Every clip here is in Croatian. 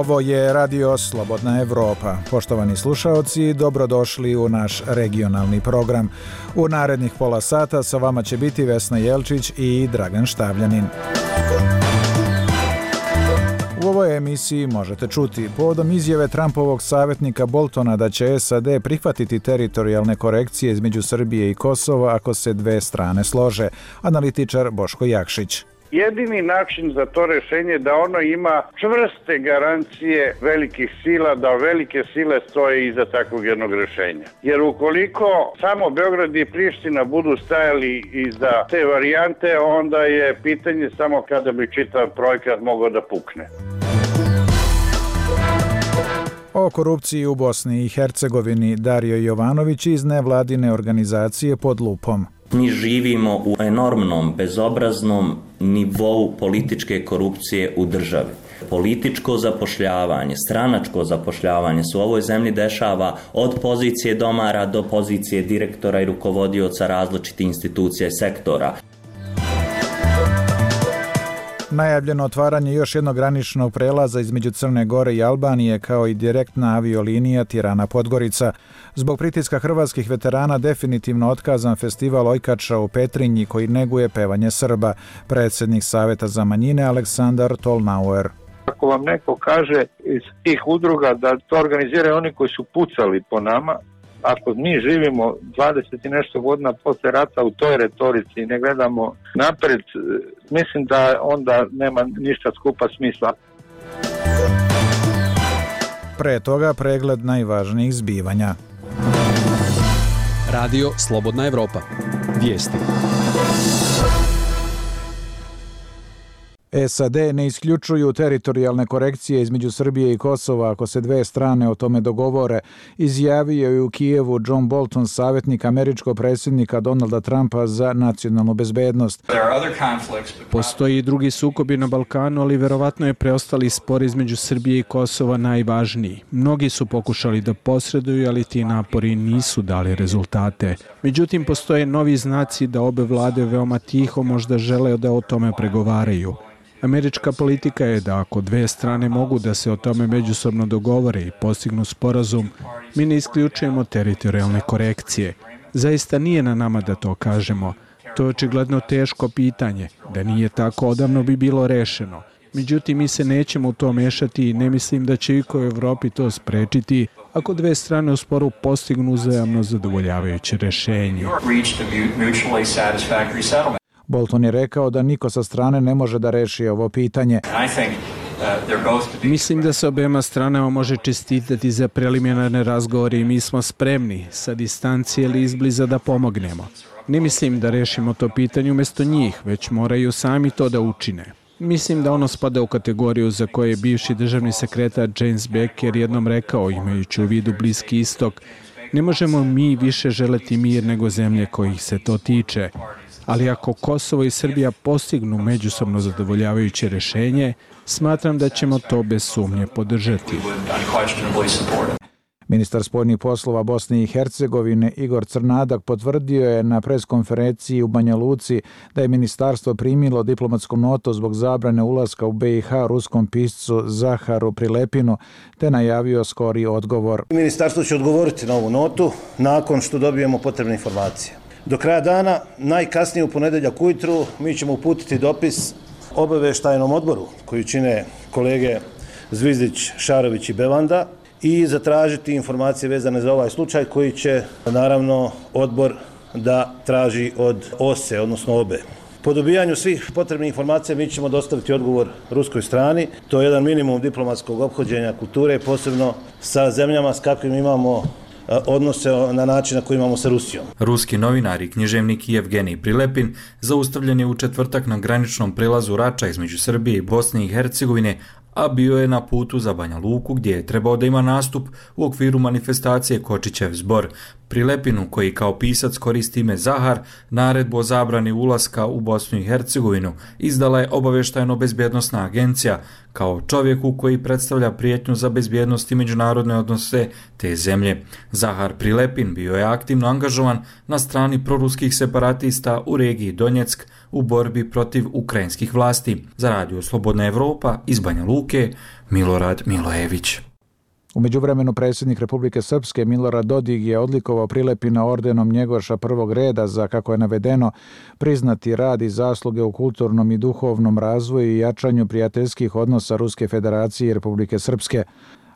Ovo je Radio Slobodna Evropa. Poštovani slušaoci, dobrodošli u naš regionalni program. U narednih pola sata sa vama će biti Vesna Jelčić i Dragan Štavljanin. U ovoj emisiji možete čuti povodom izjave Trumpovog savjetnika Boltona da će SAD prihvatiti teritorijalne korekcije između Srbije i Kosova ako se dve strane slože. Analitičar Boško Jakšić. Jedini način za to rješenje je da ono ima čvrste garancije velikih sila, da velike sile stoje iza takvog jednog rješenja. Jer ukoliko samo Beograd i Priština budu stajali iza te varijante, onda je pitanje samo kada bi čitav projekat mogao da pukne. O korupciji u Bosni i Hercegovini Dario Jovanović iz nevladine organizacije Pod lupom. Mi živimo u enormnom, bezobraznom nivou političke korupcije u državi. Političko zapošljavanje, stranačko zapošljavanje se u ovoj zemlji dešava od pozicije domara do pozicije direktora i rukovodioca različitih institucija i sektora. Najavljeno otvaranje još jednog graničnog prelaza između Crne Gore i Albanije kao i direktna aviolinija Tirana-Podgorica. Zbog pritiska hrvatskih veterana definitivno otkazan festival Ojkača u Petrinji koji neguje pevanje Srba. Predsjednik Saveta za manjine Aleksandar Tolnauer. Ako vam neko kaže iz tih udruga da to organiziraju oni koji su pucali po nama, ako mi živimo 20 i nešto godina posle rata u toj retorici i ne gledamo napred, mislim da onda nema ništa skupa smisla. Pre toga pregled najvažnijih zbivanja. Radio Slobodna Evropa. Vijesti. SAD ne isključuju teritorijalne korekcije između Srbije i Kosova ako se dve strane o tome dogovore, izjavio je u Kijevu John Bolton, savjetnik američkog predsjednika Donalda Trumpa za nacionalnu bezbednost. Postoji i drugi sukobi na Balkanu, ali verovatno je preostali spor između Srbije i Kosova najvažniji. Mnogi su pokušali da posreduju, ali ti napori nisu dali rezultate. Međutim, postoje novi znaci da obe vlade veoma tiho možda žele da o tome pregovaraju. Američka politika je da ako dve strane mogu da se o tome međusobno dogovore i postignu sporazum, mi ne isključujemo teritorijalne korekcije. Zaista nije na nama da to kažemo. To je očigledno teško pitanje. Da nije tako, odavno bi bilo rešeno. Međutim, mi se nećemo u to mešati i ne mislim da će iko u Evropi to sprečiti ako dve strane u sporu postignu uzajamno zadovoljavajuće rešenje. Bolton je rekao da niko sa strane ne može da reši ovo pitanje. Mislim da se obema stranama može čestitati za preliminarne razgovore i mi smo spremni sa distancije ili izbliza da pomognemo. Ne mislim da rešimo to pitanje umjesto njih, već moraju sami to da učine. Mislim da ono spada u kategoriju za koje je bivši državni sekretar James Baker jednom rekao, imajući u vidu Bliski istok, ne možemo mi više želeti mir nego zemlje kojih se to tiče. Ali ako Kosovo i Srbija postignu međusobno zadovoljavajuće rješenje, smatram da ćemo to bez sumnje podržati. Ministar spoljnih poslova Bosne i Hercegovine Igor Crnadak potvrdio je na preskonferenciji u Banja Luci da je ministarstvo primilo diplomatsku notu zbog zabrane ulaska u BiH ruskom piscu Zaharu Prilepinu, te najavio skori odgovor. Ministarstvo će odgovoriti na ovu notu nakon što dobijemo potrebne informacije. Do kraja dana, najkasnije u ponedjeljak ujutru, mi ćemo uputiti dopis obavještajnom odboru koji čine kolege Zvizdić, Šarović i Bevanda i zatražiti informacije vezane za ovaj slučaj koji će naravno odbor da traži od OSE, odnosno obe. Po dobijanju svih potrebnih informacija mi ćemo dostaviti odgovor ruskoj strani. To je jedan minimum diplomatskog ophođenja kulture, posebno sa zemljama s kakvim imamo odnose na način na koji imamo sa Rusijom. Ruski novinar i književnik Evgenij Prilepin zaustavljen je u četvrtak na graničnom prelazu Rača između Srbije i Bosne i Hercegovine, a bio je na putu za Banja Luku gdje je trebao da ima nastup u okviru manifestacije Kočićev zbor. Prilepinu, koji kao pisac koristi ime Zahar, naredbu o zabrani ulaska u Bosnu i Hercegovinu izdala je obavještajno-bezbjednosna agencija kao čovjeku koji predstavlja prijetnju za bezbjednost i međunarodne odnose te zemlje. Zahar Prilepin bio je aktivno angažovan na strani proruskih separatista u regiji Donjeck u borbi protiv ukrajinskih vlasti. Za Radio Slobodna Evropa iz Banja Luke, Milorad Milojević. U međuvremenu predsjednik Republike Srpske Milorad Dodik je odlikovao Prilepina ordenom Njegoša prvog reda za, kako je navedeno, priznati rad i zasluge u kulturnom i duhovnom razvoju i jačanju prijateljskih odnosa Ruske Federacije i Republike Srpske.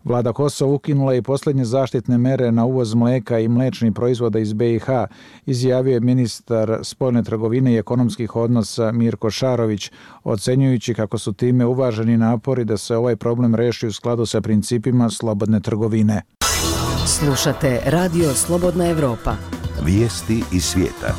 Vlada Kosova ukinula i posljednje zaštitne mere na uvoz mlijeka i mliječnih proizvoda iz BiH, izjavio je ministar spoljne trgovine i ekonomskih odnosa Mirko Šarović, ocenjujući kako su time uvaženi napori da se ovaj problem reši u skladu sa principima slobodne trgovine. Slušate Radio Slobodna Evropa. Vijesti iz svijeta.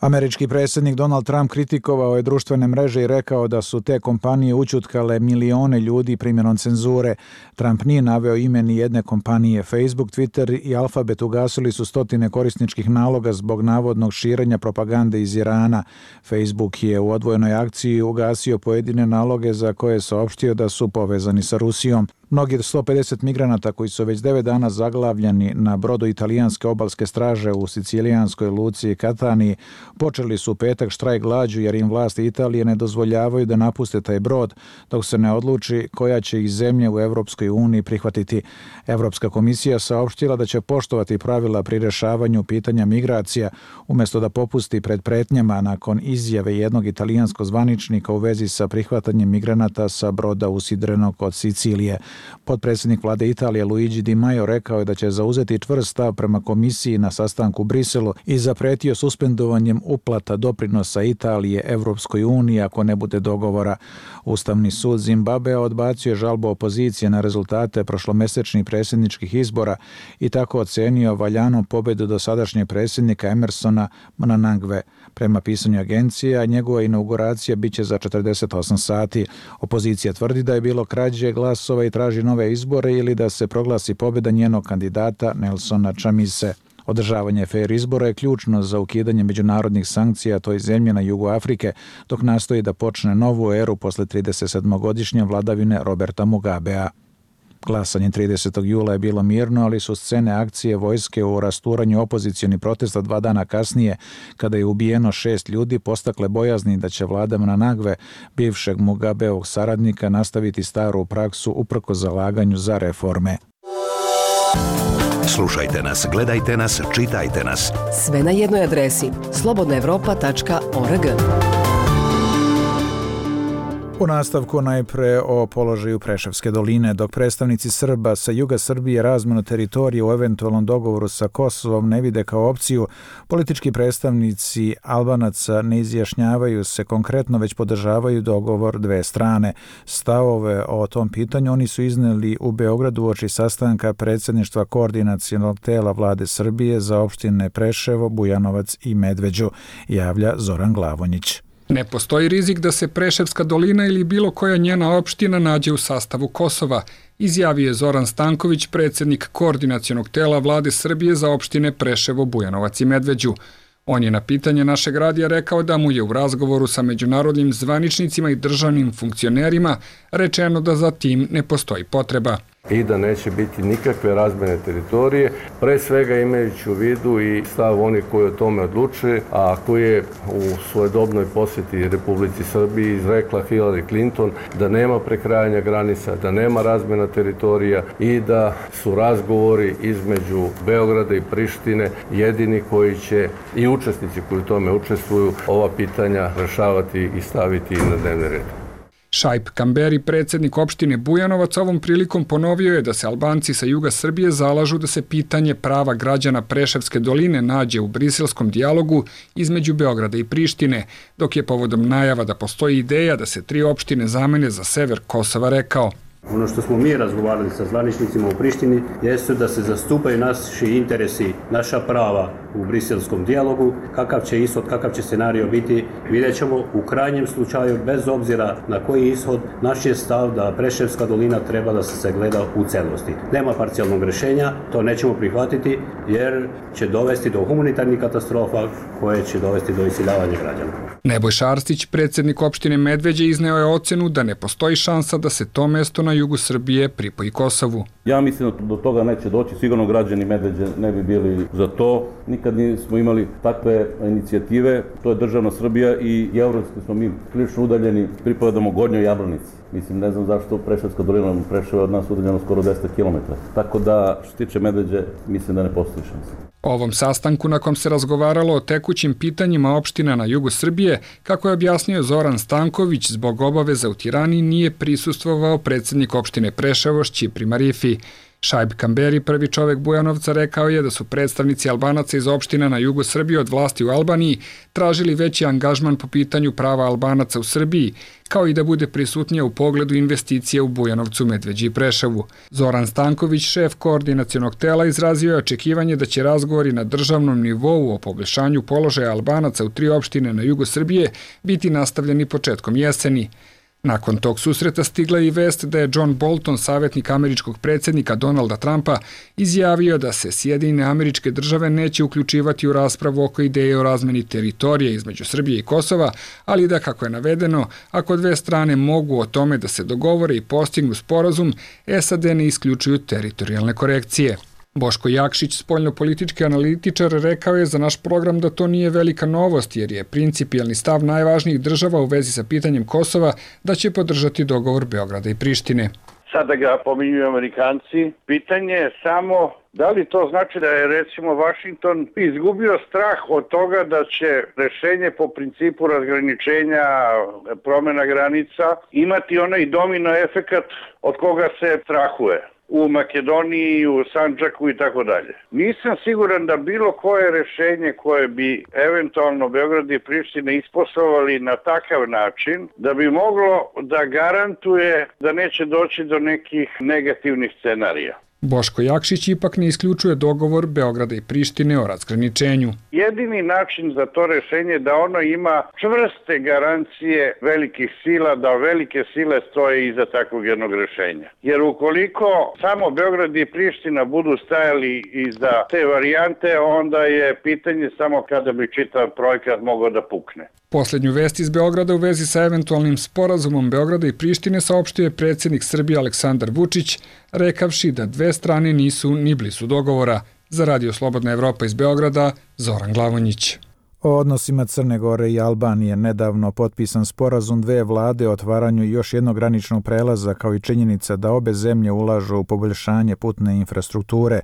Američki predsjednik Donald Trump kritikovao je društvene mreže i rekao da su te kompanije ućutkale milione ljudi primjenom cenzure. Trump nije naveo ime ni jedne kompanije. Facebook, Twitter i Alphabet ugasili su stotine korisničkih naloga zbog navodnog širenja propagande iz Irana. Facebook je u odvojenoj akciji ugasio pojedine naloge za koje je saopštio da su povezani sa Rusijom. Mnogi 150 migranata koji su već 9 dana zaglavljeni na brodu italijanske obalske straže u sicilijanskoj luci Kataniji počeli su u petak štrajk glađu jer im vlasti Italije ne dozvoljavaju da napuste taj brod dok se ne odluči koja će ih zemlje u Europskoj uniji prihvatiti. Europska komisija saopštila da će poštovati pravila pri rješavanju pitanja migracija umjesto da popusti pred pretnjama nakon izjave jednog italijanskog zvaničnika u vezi sa prihvatanjem migranata sa broda usidrenog kod Sicilije. Potpredsjednik vlade Italije Luigi Di Maio rekao je da će zauzeti čvrst stav prema komisiji na sastanku u Briselu i zapretio suspendovanjem uplata doprinosa Italije Evropskoj uniji ako ne bude dogovora. Ustavni sud Zimbabvea odbacio je žalbu opozicije na rezultate prošlomesečnih predsjedničkih izbora i tako ocenio valjanom pobjedu dosadašnjeg predsjednika Emersona Mnangagwe. Prema pisanju agencije, njegova inauguracija biće za 48 sati. Opozicija tvrdi da je bilo krađe glasova i traži nove izbore ili da se proglasi pobjeda njenog kandidata Nelsona Chamise. Održavanje fer izbora je ključno za ukidanje međunarodnih sankcija toj zemlji na jugu Afrike, dok nastoji da počne novu eru posle 37-godišnje vladavine Roberta Mugabea. Glasanje 30. jula je bilo mirno, ali su scene akcije vojske u rasturanju opozicionih protesta 2 dana kasnije, kada je ubijeno 6 ljudi, postakle bojazni da će vlada Mnangagwe, bivšeg Mugabeovog saradnika, nastaviti staru praksu uprkos zalaganju za reforme. Slušajte nas, gledajte nas, čitajte nas. Sve na jednoj adresi slobodnaevropa.org. U nastavku najpre o položaju Preševske doline. Dok predstavnici Srba sa juga Srbije razmenu teritorije u eventualnom dogovoru sa Kosovom ne vide kao opciju, politički predstavnici Albanaca ne izjašnjavaju se konkretno, već podržavaju dogovor dve strane. Stavove o tom pitanju oni su izneli u Beogradu uoči sastanka predsjedništva koordinacionog tela vlade Srbije za opštine Preševo, Bujanovac i Medveđu, javlja Zoran Glavonjić. Ne postoji rizik da se Preševska dolina ili bilo koja njena opština nađe u sastavu Kosova, izjavio je Zoran Stanković, predsjednik koordinacionog tela vlade Srbije za opštine Preševo, Bujanovac i Medveđu. On je na pitanje našeg radija rekao da mu je u razgovoru sa međunarodnim zvaničnicima i državnim funkcionerima rečeno da za tim ne postoji potreba. I da neće biti nikakve razmjene teritorije, pre svega imajući u vidu i stav onih koji o tome odlučuje, a koji je u svojedobnoj posjeti Republici Srbiji izrekla Hillary Clinton da nema prekrajanja granica, da nema razmjena teritorija i da su razgovori između Beograda i Prištine jedini koji će i učesnici koji u tome učestvuju ova pitanja rešavati i staviti na dnevni red. Šaip Kamberi, predsjednik opštine Bujanovac, ovom prilikom ponovio je da se Albanci sa juga Srbije zalažu da se pitanje prava građana Preševske doline nađe u briselskom dijalogu između Beograda i Prištine, dok je povodom najava da postoji ideja da se 3 opštine zamene za sever Kosova rekao: Ono što smo mi razgovarali sa zvaničnicima u Prištini jeste da se zastupaju naši interesi, naša prava u briselskom dijalogu. Kakav će ishod, kakav će scenario biti, vidjet ćemo. U krajnjem slučaju, bez obzira na koji ishod, naš je stav da Preševska dolina treba da se sagleda u celosti. Nema parcijalnog rješenja, to nećemo prihvatiti jer će dovesti do humanitarnih katastrofa koje će dovesti do iseljavanja građana. Nebojša Arsić, predsjednik opštine Medveđe, izneo je ocenu da ne postoji šansa da se to mesto na jugu Srbije pripoji Kosovu. Ja mislim da do toga neće doći, sigurno građani Medveđe ne bi bili za to. Nikad nismo imali takve inicijative, to je državna Srbija i evropski smo mi prilično udaljeni, pripadamo Gornjoj Jablanici. Mislim, ne znam zašto Preševska dolina Preševa od nas udaljeno skoro 200 km. Tako da, što se tiče Medveđe, mislim da ne postoji šansa. Ovom sastanku, na kom se razgovaralo o tekućim pitanjima opština na jugu Srbije, kako je objasnio Zoran Stanković, zbog obaveza u Tirani nije prisustvovao predsjednik opštine Preševo Šćipri Marifi. Šaib Kamberi, prvi čovek Bujanovca, rekao je da su predstavnici Albanaca iz opština na jugu Srbije od vlasti u Albaniji tražili veći angažman po pitanju prava Albanaca u Srbiji, kao i da bude prisutnija u pogledu investicije u Bujanovcu, Medveđi i Preševu. Zoran Stanković, šef koordinacionog tela, izrazio je očekivanje da će razgovori na državnom nivou o poboljšanju položaja Albanaca u 3 opštine na jugu Srbije biti nastavljeni početkom jeseni. Nakon tog susreta stigla je i vest da je John Bolton, savjetnik američkog predsjednika Donalda Trumpa, izjavio da se Sjedinjene Američke Države neće uključivati u raspravu oko ideje o razmeni teritorije između Srbije i Kosova, ali da, kako je navedeno, ako dve strane mogu o tome da se dogovore i postignu sporazum, SAD ne isključuju teritorijalne korekcije. Boško Jakšić, spoljnopolitički analitičar, rekao je za naš program da to nije velika novost jer je principijelni stav najvažnijih država u vezi sa pitanjem Kosova da će podržati dogovor Beograda i Prištine. Sada ga pominjuju Amerikanci. Pitanje je samo da li to znači da je recimo Vašington izgubio strah od toga da će rešenje po principu razgraničenja, promjena granica imati onaj domino efekat od koga se strahuje u Makedoniji, u Sandžaku i tako dalje. Nisam siguran da bilo koje rešenje koje bi eventualno Beograd i Priština isposlovali na takav način da bi moglo da garantuje da neće doći do nekih negativnih scenarija. Boško Jakšić ipak ne isključuje dogovor Beograda i Prištine o razgraničenju. Jedini način za to rešenje je da ono ima čvrste garancije velikih sila, da velike sile stoje iza takvog jednog rešenja. Jer ukoliko samo Beograd i Priština budu stajali iza te varijante, onda je pitanje samo kada bi čitav projekat mogao da pukne. Poslednju vest iz Beograda u vezi sa eventualnim sporazumom Beograda i Prištine saopštio je predsjednik Srbije Aleksandar Vučić, rekavši da dve strane nisu ni blizu dogovora. Za Radio Slobodna Evropa iz Beograda, Zoran Glavonjić. O odnosima Crne Gore i Albanije nedavno potpisan sporazum dve vlade o otvaranju još jednog graničnog prelaza, kao i činjenica da obe zemlje ulažu u poboljšanje putne infrastrukture,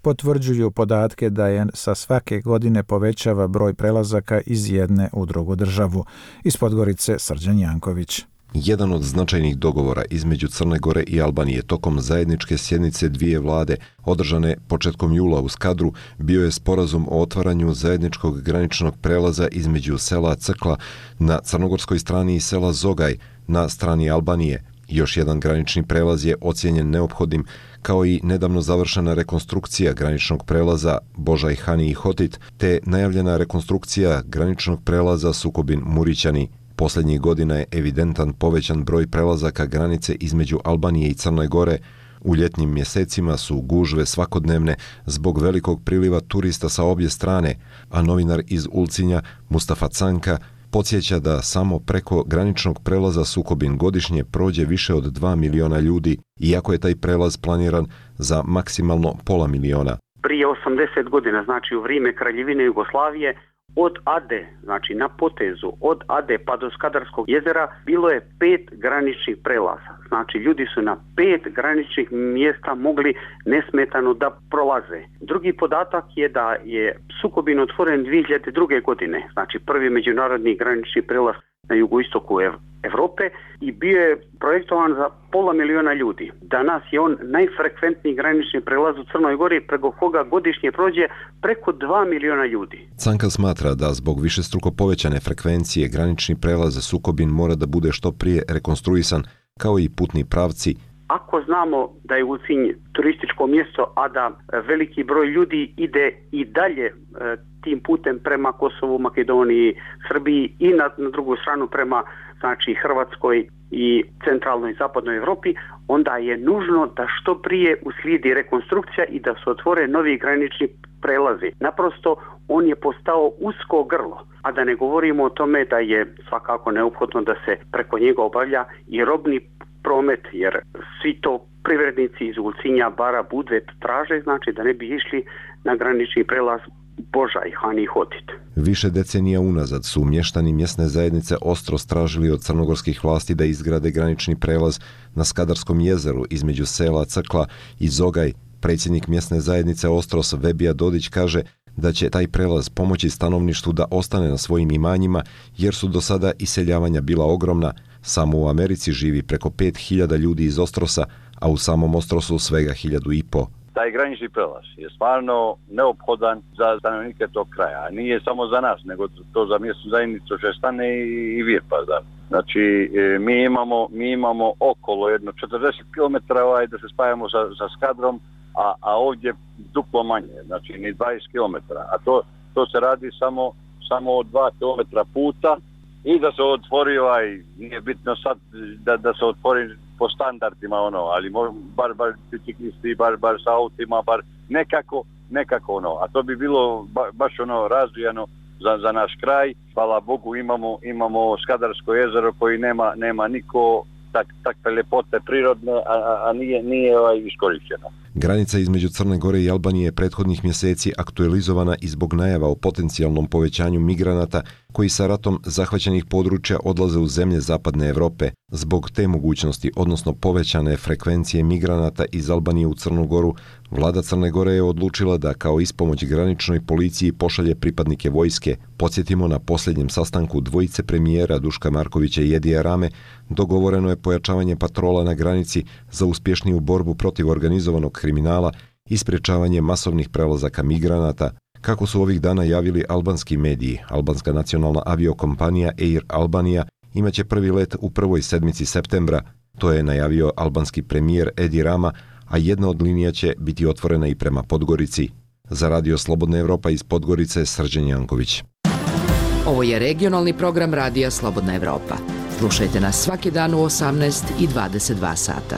potvrđuju podatke da je sa svake godine povećava broj prelazaka iz jedne u drugu državu. Iz Podgorice, Srđan Janković. Jedan od značajnih dogovora između Crne Gore i Albanije tokom zajedničke sjednice dvije vlade, održane početkom jula u Skadru, bio je sporazum o otvaranju zajedničkog graničnog prelaza između sela Crkla na crnogorskoj strani i sela Zogaj na strani Albanije. Još jedan granični prelaz je ocijenjen neophodnim, kao i nedavno završena rekonstrukcija graničnog prelaza Božaj Hani i Hotit, te najavljena rekonstrukcija graničnog prelaza Sukobin-Murićani. Posljednjih godina je evidentan povećan broj prelazaka granice između Albanije i Crne Gore. U ljetnim mjesecima su gužve svakodnevne zbog velikog priliva turista sa obje strane, a novinar iz Ulcinja Mustafa Canka podsjeća da samo preko graničnog prelaza Sukobin godišnje prođe više od 2 miliona ljudi, iako je taj prelaz planiran za maksimalno pola miliona. Prije 80 godina, znači u vrijeme Kraljevine Jugoslavije, od Ade, znači na potezu, od Ade pa do Skadarskog jezera, bilo je 5 graničnih prelaza. Znači ljudi su na 5 graničnih mjesta mogli nesmetano da prolaze. Drugi podatak je da je Sukobin otvoren 2002. godine, znači prvi međunarodni granični prelaz na jugoistoku Evrope i bio je projektovan za pola miliona ljudi. Danas je on najfrekventniji granični prelaz u Crnoj Gori, preko koga godišnje prođe preko 2 miliona ljudi. Canka smatra da zbog višestruko povećane frekvencije granični prelaz Sukobin mora da bude što prije rekonstruisan, kao i putni pravci, ako znamo da je Ulcinj turističko mjesto, a da veliki broj ljudi ide i dalje tim putem prema Kosovu, Makedoniji, Srbiji i na drugu stranu prema znači Hrvatskoj i centralnoj i zapadnoj Europi, onda je nužno da što prije uslijedi rekonstrukcija i da se otvore novi granični prelazi. Naprosto on je postao usko grlo, a da ne govorimo o tome da je svakako neophodno da se preko njega obavlja i robni promet, jer svi to privrednici iz Ulcinja, Bara, Budve traže, znači da ne bi išli na granični prelaz Božaj, Han i Hotit. Više decenija unazad su mještani mjesne zajednice Ostros tražili od crnogorskih vlasti da izgrade granični prelaz na Skadarskom jezeru između sela Crkla i Zogaj. Predsjednik mjesne zajednice Ostros Vebija Dodić kaže da će taj prelaz pomoći stanovništvu da ostane na svojim imanjima jer su do sada iseljavanja bila ogromna. Samo u Americi živi preko 5.000 ljudi iz Ostrosa, a u samom Ostrosu svega 1.500. Taj granični prelaz je stvarno neophodan za stanovnike tog kraja. A nije samo za nas, nego to za mjesnu zajednicu Šestane i Virpazar. Znači, mi imamo okolo jedno 40 km da se spajamo sa Skadrom, a ovdje duplo manje, znači ni 20 km. A to se radi samo od 2 km puta i da se otvori nije bitno sad da se otvori po standardima ali bar biciklisti, bar sa autima, bar nekako a to bi bilo baš razvijano za naš kraj. Hvala Bogu imamo Skadarsko jezero koji nema niko takve ljepote prirodne, a nije iskorišteno. Granica između Crne Gore i Albanije je prethodnih mjeseci aktualizovana i zbog najava o potencijalnom povećanju migranata koji sa ratom zahvaćenih područja odlaze u zemlje zapadne Europe. Zbog te mogućnosti, odnosno povećane frekvencije migranata iz Albanije u Crnu Goru, vlada Crne Gore je odlučila da kao ispomoć graničnoj policiji pošalje pripadnike vojske. Podsjetimo, na posljednjem sastanku dvojice premijera Duška Markovića i Edija Rame dogovoreno je pojačavanje patrola na granici za uspješniju borbu protiv organizovanog kriminala i sprječavanje masovnih prelazaka migranata. Kako su ovih dana javili albanski mediji, albanska nacionalna aviokompanija Air Albania imaće prvi let u prvoj sedmici septembra. To je najavio albanski premijer Edi Rama, a jedna od linija će biti otvorena i prema Podgorici. Za Radio Slobodna Evropa iz Podgorice, Srđan Janković. Ovo je regionalni program Radija Slobodna Evropa. Slušajte nas svaki dan u 18 i 22 sata.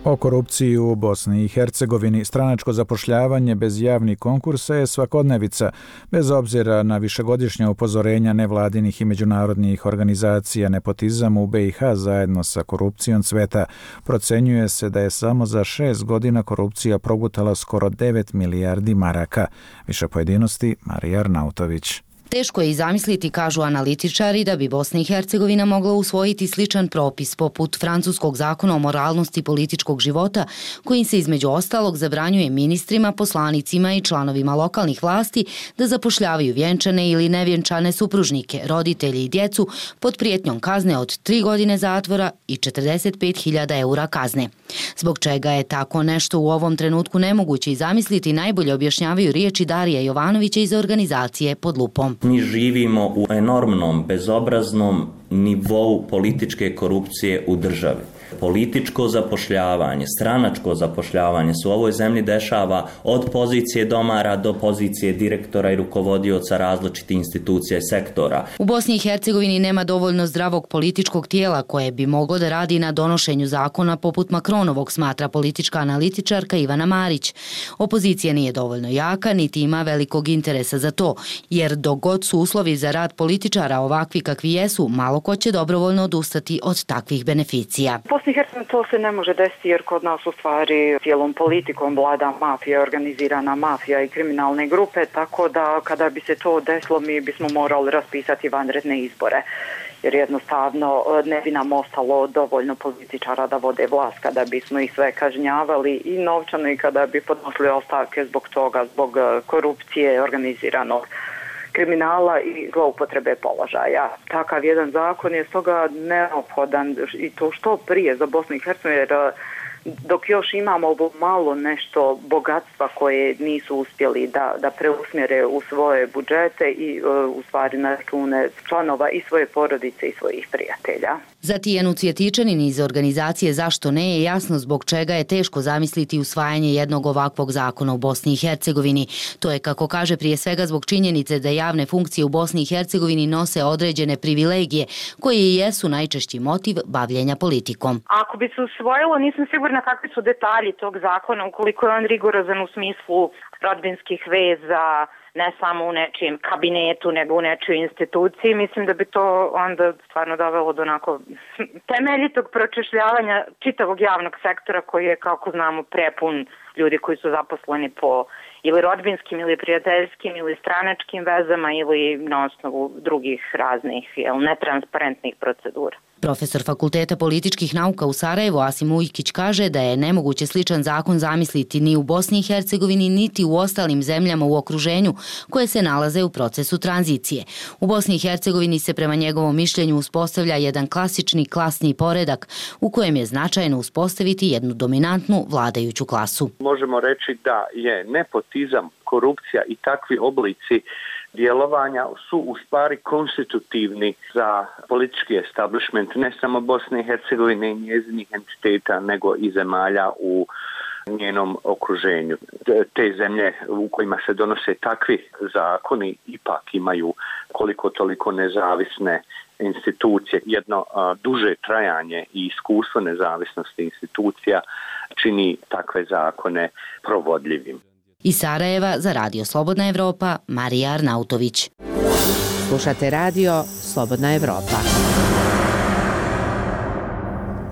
O korupciji u Bosni i Hercegovini stranačko zapošljavanje bez javnih konkursa je svakodnevica, bez obzira na višegodišnja upozorenja nevladinih i međunarodnih organizacija. Nepotizam u BiH zajedno sa korupcijom cveta. Procenjuje se da je samo za 6 godina korupcija progutala skoro 9 milijardi maraka. Više pojedinosti, Marija Arnautović. Teško je i zamisliti, kažu analitičari, da bi Bosna i Hercegovina mogla usvojiti sličan propis poput francuskog zakona o moralnosti političkog života, kojim se između ostalog zabranjuje ministrima, poslanicima i članovima lokalnih vlasti da zapošljavaju vjenčane ili nevjenčane supružnike, roditelji i djecu pod prijetnjom kazne od 3 godine zatvora i 45.000 eura kazne. Zbog čega je tako nešto u ovom trenutku nemoguće i zamisliti, najbolje objašnjavaju riječi Darija Jovanovića iz organizacije Pod lupom. Mi živimo u enormnom, bezobraznom nivou političke korupcije u državi. Političko zapošljavanje, stranačko zapošljavanje se u ovoj zemlji dešava od pozicije domara do pozicije direktora i rukovodioca različitih institucija i sektora. U Bosni i Hercegovini nema dovoljno zdravog političkog tijela koje bi moglo da radi na donošenju zakona poput Makronovog, smatra politička analitičarka Ivana Marić. Opozicija nije dovoljno jaka, niti ima velikog interesa za to, jer dok god su uslovi za rad političara ovakvi kakvi jesu, malo ko će dobrovoljno odustati od takvih beneficija. Bosni i Hercegovini to se ne može desiti jer kod nas u stvari cijelom politikom vlada mafija, organizirana mafija i kriminalne grupe, tako da kada bi se to desilo mi bismo morali raspisati vanredne izbore. Jer jednostavno ne bi nam ostalo dovoljno političara da vode vlast kada bismo ih sve kažnjavali i novčano i kada bi podnosili ostavke zbog toga, zbog korupcije, organiziranog kriminala i zloupotrebe položaja. Takav jedan zakon je stoga neophodan i to što prije za Bosnu i Hercegovinu, jer dok još imamo ovo malo nešto bogatstva koje nisu uspjeli da preusmjere u svoje budžete i u stvari na račune članova i svoje porodice i svojih prijatelja. Za Tijanu Cvjetičanin iz organizacije Zašto ne je jasno zbog čega je teško zamisliti usvajanje jednog ovakvog zakona u Bosni i Hercegovini. To je, kako kaže, prije svega zbog činjenice da javne funkcije u Bosni i Hercegovini nose određene privilegije koje i jesu najčešći motiv bavljenja politikom. Ako bi se usvojilo, nisam sigurna kakvi su detalji tog zakona, ukoliko je on rigorozan u smislu rodbinskih veza, ne samo u nečijem kabinetu, nego u nečijoj instituciji. Mislim da bi to onda stvarno dovelo do onako temeljitog pročešljavanja čitavog javnog sektora koji je, kako znamo, prepun ljudi koji su zaposleni po ili rodbinskim ili prijateljskim ili stranačkim vezama ili na osnovu drugih raznih netransparentnih procedura. Profesor Fakulteta političkih nauka u Sarajevu Asim Ujkić kaže da je nemoguće sličan zakon zamisliti ni u Bosni i Hercegovini niti u ostalim zemljama u okruženju koje se nalaze u procesu tranzicije. U Bosni i Hercegovini se prema njegovom mišljenju uspostavlja jedan klasični klasni poredak u kojem je značajno uspostaviti jednu dominantnu vladajuću klasu. Možemo reći da je nepotizam, korupcija i takvi oblici djelovanja su u stvari konstitutivni za politički establishment ne samo Bosne i Hercegovine i njezinih entiteta, nego i zemalja u njenom okruženju. Te zemlje u kojima se donose takvi zakoni ipak imaju koliko toliko nezavisne institucije. Jedno duže trajanje i iskustvo nezavisnosti institucija čini takve zakone provodljivim. Iz Sarajeva za Radio Slobodna Evropa, Marija Arnautović. Slušate Radio Slobodna Evropa.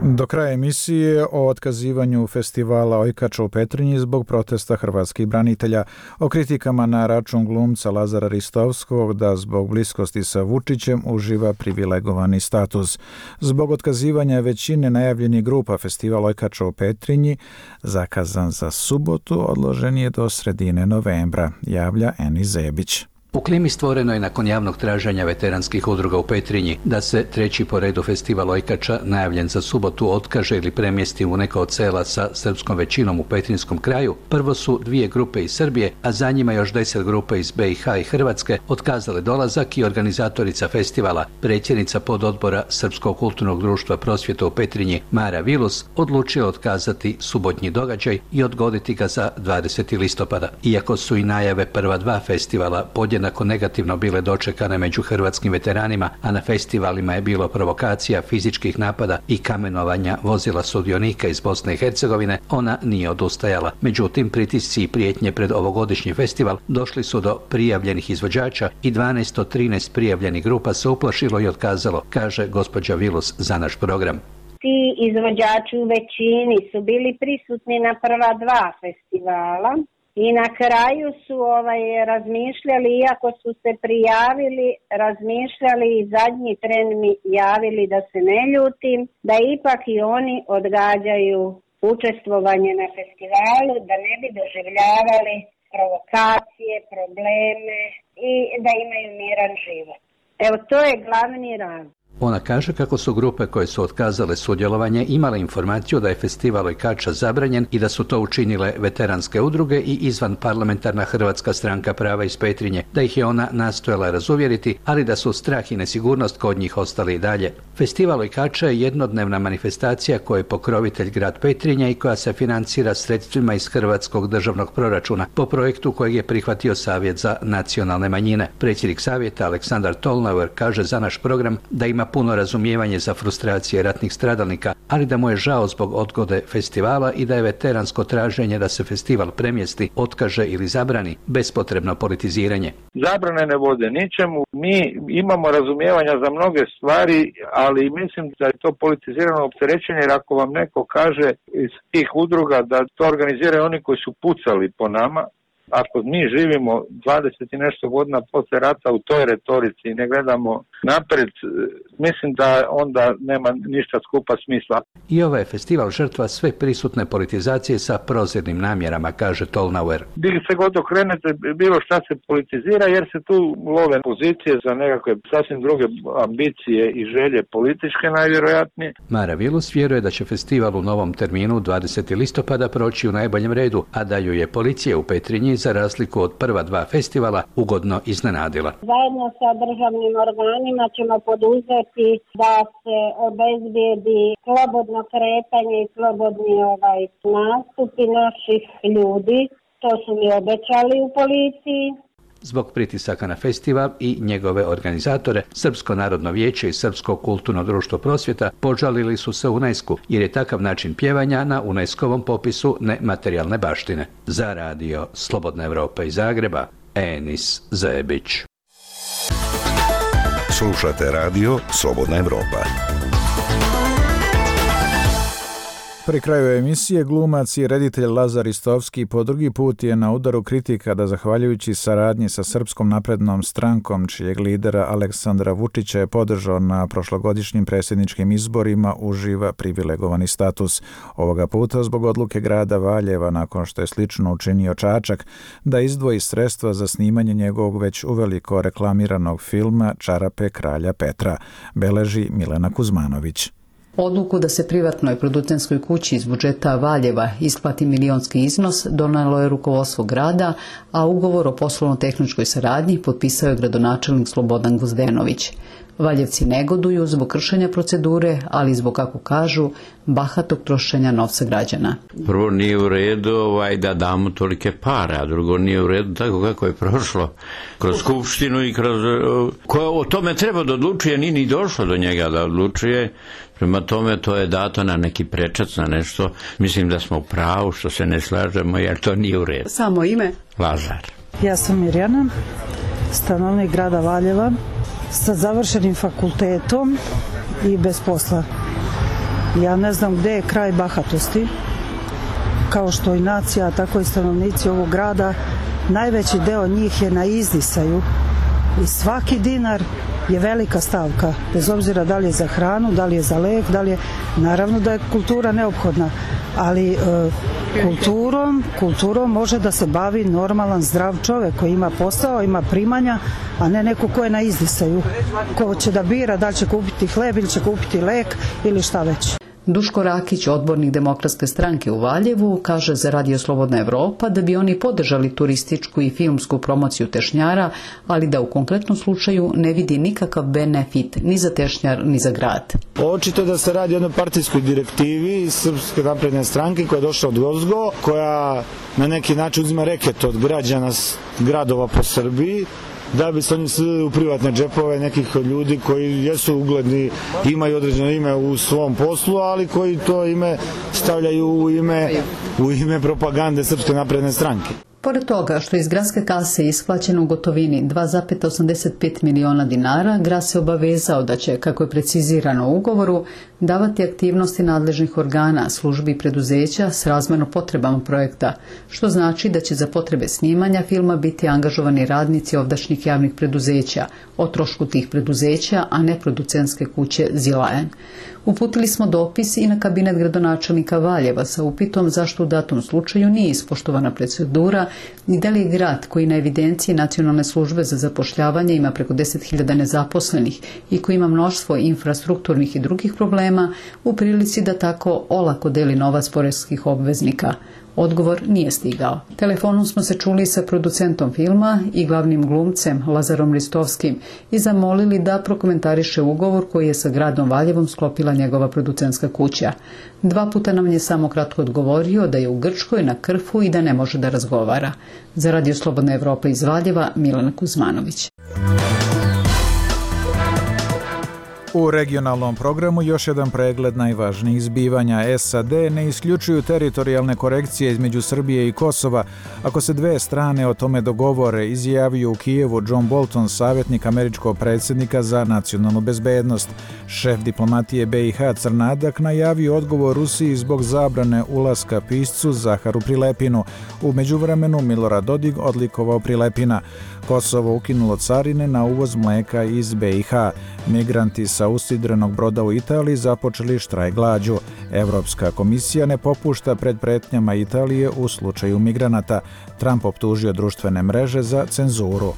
Do kraja emisije o otkazivanju festivala Ojkača u Petrinji zbog protesta hrvatskih branitelja, o kritikama na račun glumca Lazara Ristovskog da zbog bliskosti sa Vučićem uživa privilegovani status. Zbog otkazivanja većine najavljenih grupa festival Ojkača u Petrinji, zakazan za subotu, odložen je do sredine novembra, javlja Eni Zebić. U klimi stvorenoj nakon javnog traženja veteranskih udruga u Petrinji da se treći po redu festival Ojkača, najavljen za subotu, otkaže ili premjesti u neka od sela sa srpskom većinom u petrinjskom kraju, prvo su 2 grupe iz Srbije, a za njima još 10 grupa iz BiH i Hrvatske otkazale dolazak i organizatorica festivala, predsjednica pododbora Srpskog kulturnog društva Prosvjeta u Petrinji Mara Vilus, odlučila otkazati subotnji događaj i odgoditi ga za 20. listopada. Iako su i najave prva 2 festivala podjednako negativno bile dočekane među hrvatskim veteranima, a na festivalima je bilo provokacija, fizičkih napada i kamenovanja vozila sudionika iz Bosne i Hercegovine, ona nije odustajala. Međutim, pritisci i prijetnje pred ovogodišnji festival došli su do prijavljenih izvođača i 12 od 13 prijavljenih grupa se uplašilo i otkazalo, kaže gospođa Vilus za naš program. Ti izvođači u većini su bili prisutni na prva 2 festivala. I na kraju su razmišljali, iako su se prijavili, razmišljali i zadnji tren mi javili da se ne ljutim, da ipak i oni odgađaju učestvovanje na festivalu, da ne bi doživljavali provokacije, probleme i da imaju miran život. Evo, to je glavni razlog. Ona kaže kako su grupe koje su otkazale sudjelovanje imale informaciju da je festival Ojkača zabranjen i da su to učinile veteranske udruge i izvan parlamentarna Hrvatska stranka prava iz Petrinje, da ih je ona nastojala razuvjeriti, ali da su strah i nesigurnost kod njih ostali i dalje. Festival Ojkača je jednodnevna manifestacija koja je pokrovitelj grad Petrinja i koja se financira sredstvima iz Hrvatskog državnog proračuna po projektu kojeg je prihvatio Savjet za nacionalne manjine. Predsjednik savjeta Aleksandar Tolnauer kaže za naš program da ima puno razumijevanje za frustracije ratnih stradalnika, ali da mu je žao zbog odgode festivala i da je veteransko traženje da se festival premjesti, otkaže ili zabrani bespotrebno politiziranje. Zabrane ne vode ničemu. Mi imamo razumijevanja za mnoge stvari, ali mislim da je to politizirano opterećenje, jer ako vam neko kaže iz tih udruga da to organiziraju oni koji su pucali po nama, ako mi živimo 20 i nešto godina posle rata u toj retorici i ne gledamo napred, mislim da onda nema ništa skupa smisla. I ovaj je festival žrtva sve prisutne politizacije sa prozirnim namjerama, kaže Tolnauer. Gdje se god okrenete, bilo šta se politizira, jer se tu love pozicije za nekakve sasvim druge ambicije i želje političke najvjerojatnije. Mara Vilus vjeruje da će festival u novom terminu 20. listopada proći u najboljem redu, a da ju je policija u Petrinji njih, za razliku od prva dva festivala, ugodno iznenadila. Zajedno sa državnim organima ćemo poduzeti da se obezbijedi slobodno kretanje i slobodni nastupi naših ljudi. To su mi obećali u policiji. Zbog pritisaka na festival i njegove organizatore, Srpsko narodno vijeće i Srpsko kulturno društvo prosvjeta požalili su se UNESCO jer je takav način pjevanja na UNESCO-vom popisu nematerijalne baštine. Za radio Slobodna Evropa iz Zagreba, Enis Zebić. Slušate radio Slobodna Evropa. Pri kraju emisije glumac i reditelj Lazar Istovski po drugi put je na udaru kritika da zahvaljujući saradnji sa Srpskom naprednom strankom, čijeg lidera Aleksandra Vučića je podržao na prošlogodišnjim predsjedničkim izborima, uživa privilegovani status. Ovoga puta zbog odluke grada Valjeva, nakon što je slično učinio Čačak, da izdvoji sredstva za snimanje njegovog već uveliko reklamiranog filma Čarape kralja Petra, beleži Milena Kuzmanović. Odluku da se privatnoj producentskoj kući iz budžeta Valjeva isplati milionski iznos donijelo je rukovodstvo grada, a ugovor o poslovno-tehničkoj saradnji potpisao je gradonačelnik Slobodan Gozdenović. Valjevci negoduju zbog kršenja procedure, ali i zbog, kako kažu, bahatog trošenja novca građana. Prvo, nije u redu da damo tolike pare, a drugo, nije u redu tako kako je prošlo kroz skupštinu i kroz... Koja o tome treba da odlučuje, nije ni došlo do njega da odlučuje. Prema tome, to je dato na neki prečac, na nešto. Mislim da smo u pravu što se ne slažemo, jer to nije u redu. Samo ime? Lazar. Ja sam Mirjana, stanovnik grada Valjeva, sa završenim fakultetom i bez posla. Ja ne znam gde je kraj bahatosti, kao što i nacija, tako i stanovnici ovog grada. Najveći deo njih je na izdisaju i svaki dinar je velika stavka, bez obzira da li je za hranu, da li je za lek, da li je... Naravno da je kultura neophodna, ali kulturom može da se bavi normalan, zdrav čovjek koji ima posao, ima primanja, a ne neko ko je na izdisaju, ko će da bira da li će kupiti hleb ili će kupiti lek ili šta već. Duško Rakić, odbornik Demokratske stranke u Valjevu, kaže za radio Slobodna Evropa da bi oni podržali turističku i filmsku promociju Tešnjara, ali da u konkretnom slučaju ne vidi nikakav benefit ni za Tešnjar ni za grad. Očito da se radi o jednoj partijskoj direktivi Srpske napredne stranke koja je došla od Gozgo, koja na neki način uzima reket od građana gradova po Srbiji, da bi se oni slili u privatne džepove nekih ljudi koji jesu ugledni, imaju određeno ime u svom poslu, ali koji to ime stavljaju u ime propagande Srpske napredne stranke. Pored toga što iz gradske kase isplaćeno u gotovini 2,85 miliona dinara, grad se obavezao da će, kako je precizirano u ugovoru, davati aktivnosti nadležnih organa, službi i preduzeća s razmjerno potrebama projekta, što znači da će za potrebe snimanja filma biti angažovani radnici ovdašnjih javnih preduzeća, o trošku tih preduzeća, a ne producentske kuće Zilajan. Uputili smo dopis i na kabinet gradonačelnika Valjeva sa upitom zašto u datom slučaju nije ispoštovana procedura i da li je grad koji na evidenciji Nacionalne službe za zapošljavanje ima preko 10.000 nezaposlenih i koji ima mnoštvo infrastrukturnih i drugih problema u prilici da tako olako deli novac poreskih obveznika. Odgovor nije stigao. Telefonom smo se čuli sa producentom filma i glavnim glumcem Lazarom Ristovskim i zamolili da prokomentariše ugovor koji je sa gradom Valjevom sklopila njegova producentska kuća. 2 puta nam je samo kratko odgovorio da je u Grčkoj na Krfu i da ne može da razgovara. Za radio Slobodna Evropa iz Valjeva, Milena Kuzmanović. U regionalnom programu još jedan pregled najvažnijih zbivanja. SAD ne isključuju teritorijalne korekcije između Srbije i Kosova ako se dve strane o tome dogovore, izjavio u Kijevu John Bolton, savjetnik američkog predsjednika za nacionalnu bezbednost. Šef diplomatije BiH Crnadak najavio odgovor Rusiji zbog zabrane ulaska piscu Zaharu Prilepinu. U međuvremenu Milorad Dodik odlikovao Prilepina. Kosovo ukinulo carine na uvoz mlijeka iz BiH. Migranti sa usidrenog broda u Italiji započeli štrajk glađu. Evropska komisija ne popušta pred pretnjama Italije u slučaju migranata. Trump optužio društvene mreže za cenzuru.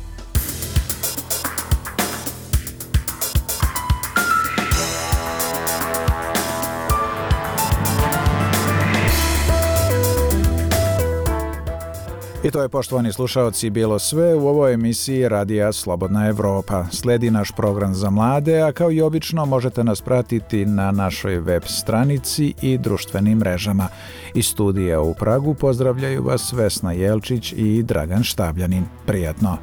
I to je, poštovani slušaoci, bilo sve u ovoj emisiji Radija Slobodna Evropa. Slijedi naš program za mlade, a kao i obično možete nas pratiti na našoj web stranici i društvenim mrežama. Iz studija u Pragu pozdravljaju vas Vesna Jelčić i Dragan Štabljanin. Prijatno!